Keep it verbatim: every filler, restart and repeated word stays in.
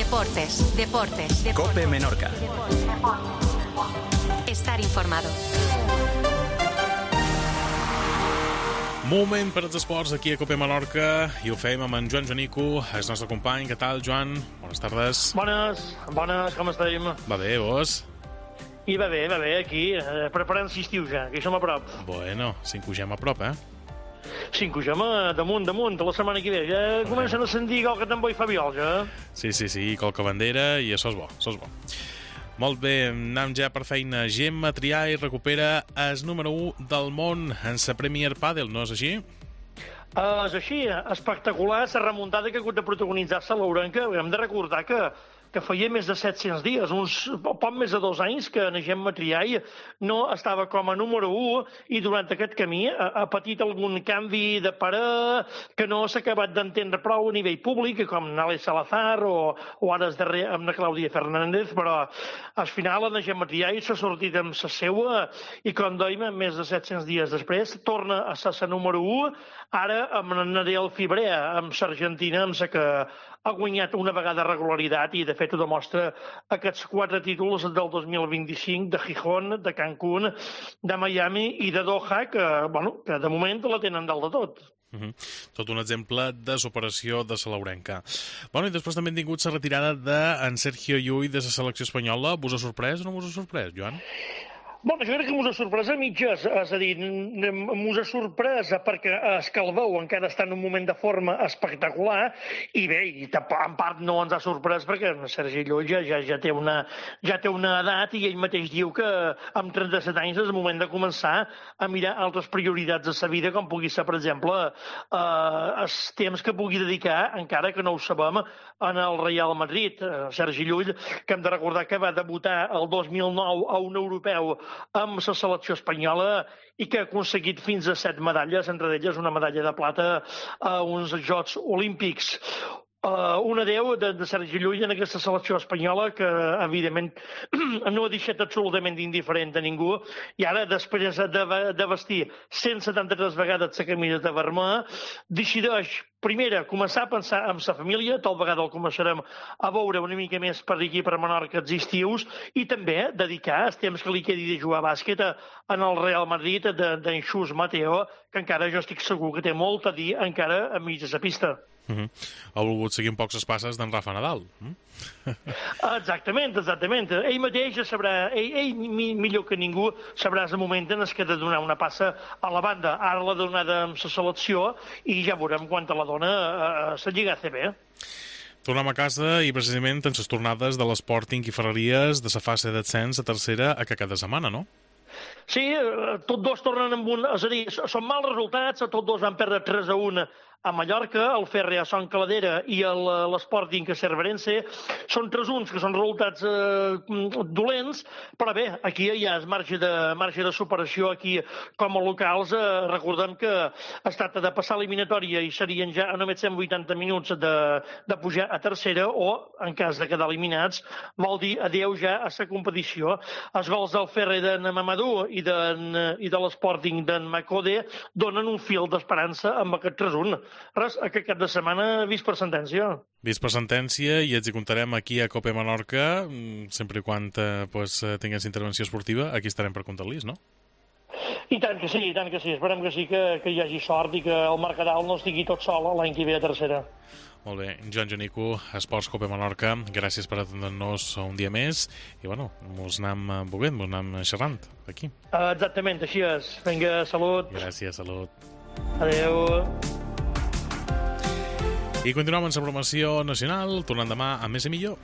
Deportes, deportes, deportes. COPE Menorca. Estar informado. Moment per als esports aquí a COPE Menorca i ho fem amb en Joan Jonico, el nostre company. Què tal, Joan? Bones tardes. Bones, bones, com estem? Va bé, vos? I va bé, va bé, aquí, eh, preparant l'estiu ja, que hi som a prop. Bueno, s'incogem a prop, eh? S'incogem damunt, damunt, la setmana que ve. Ja Bueno. comencen a sentir que el tambor i fa viol, ja. Sí, sí, sí, colca bandera i això és bo, això és bo. Molt bé, anem ja per feina. Gemma Triay recupera el número u del món en la Premier Padel, no és així? Uh, és així, espectacular la remuntada que ha hagut de protagonitzar-se a l'Ourenca. Hem de recordar que, que feia més de set-cents dies, uns poc més de dos anys, que en Gemma Triay no estava com a número u i durant aquest camí ha, ha patit algun canvi de parer que no s'ha acabat d'entendre prou a nivell públic, com Nale Salazar o, o ara es darrer amb la Clàudia Fernández, però al final en Gemma Triay s'ha sortit amb la seua i, com dèiem, més de set-cents dies després torna a ser la número u, ara amb en Nadal Fibrea, amb l'Argentina, amb la que ha guanyat una vegada regularitat i, de fet, ho demostra aquests quatre títols del dos mil vint-i-cinc de Gijón, de Cancún, de Miami i de Doha, que, bueno, que de moment la tenen dalt de tot. Uh-huh. Tot un exemple de superació de la laurenca. Bueno, i després també hem tingut la retirada d'en Sergio Llull de la selecció espanyola. Vos ha sorprès o no vos ha sorprès, Joan? Bueno, jo crec que m'ho ha sorprès a mitges, és a dir, m'ho ha sorprès perquè es Calveu encara està en un moment de forma espectacular i bé, i en part no ens ha sorprès perquè Sergi Llull ja, ja, ja, té una, ja té una edat i ell mateix diu que amb trenta-set anys és el moment de començar a mirar altres prioritats de sa vida, com pugui ser, per exemple, eh, els temps que pugui dedicar, encara que no ho sabem, en el Real Madrid. Sergi Llull, que hem de recordar que va debutar el dos mil nou a un europeu amb la selecció espanyola i que ha aconseguit fins a set medalles, entre elles una medalla de plata a uns Jocs Olímpics. Uh, un adeu de, de Sergi Llull en aquesta selecció espanyola que, evidentment, no ha deixat absolutament indiferent a ningú i ara, després de, de vestir cent setanta-tres vegades la camiseta vermella, decideix, primera, començar a pensar en sa família, tal vegada el començarem a veure una mica més per aquí, per Menorca, els estius, i també dedicar el temps que li quedi de jugar a bàsquet en el Real Madrid d'en Xus Mateo, que encara jo estic segur que té molt a dir encara a mig de la pista. Uh-huh. Ha volgut seguir un poc les passes d'en Rafa Nadal. Uh? Exactament, exactament. Ell mateix sabrà, ell, ell millor que ningú sabrà el moment en què ha de donar una passa a la banda. Ara l'ha donada amb la selecció i ja veurem quan la dona a la Lliga A C B. Tornem a casa i precisament en les tornades de l'Sporting i Ferreries de la fase d'ascens a tercera a que cada setmana, no? Sí, tots dos tornen amb un... És a dir, són mals resultats, tots dos van perdre tres a un a Mallorca, el Ferre a Son Caladera i l'Sporting a Cerverense. Són tres uns que són resultats eh, dolents, però bé, aquí hi ha marge de, marge de superació. Aquí, com a locals, eh, recordem que es tracta de passar eliminatòria i serien ja a només cent vuitanta minuts de, de pujar a tercera o, en cas de quedar eliminats, vol dir adeu ja a la competició. Els gols del Ferre d'en Mamadou i, i de l'Sporting d'en Macode donen un fil d'esperança amb aquest tres un. Res, aquest cap de setmana vist per sentència. Vist per sentència i ens hi comptarem aquí a COPE Menorca, sempre i quan eh, pues, tingués intervenció esportiva, aquí estarem per comptar-los, no? I tant que sí, i tant que sí. Esperem que sí que, que hi hagi sort i que el Mercadal no estigui tot sol l'any que ve a tercera. Molt bé, Joan Jonico, Esports COPE Menorca, gràcies per atendre-nos un dia més i bueno, mos anem veient, mos anem xerrant aquí. Uh, exactament, així és. Vinga, salut. Gràcies, salut. Adéu. I continuem amb la programació nacional, tornant demà a Més i Millor.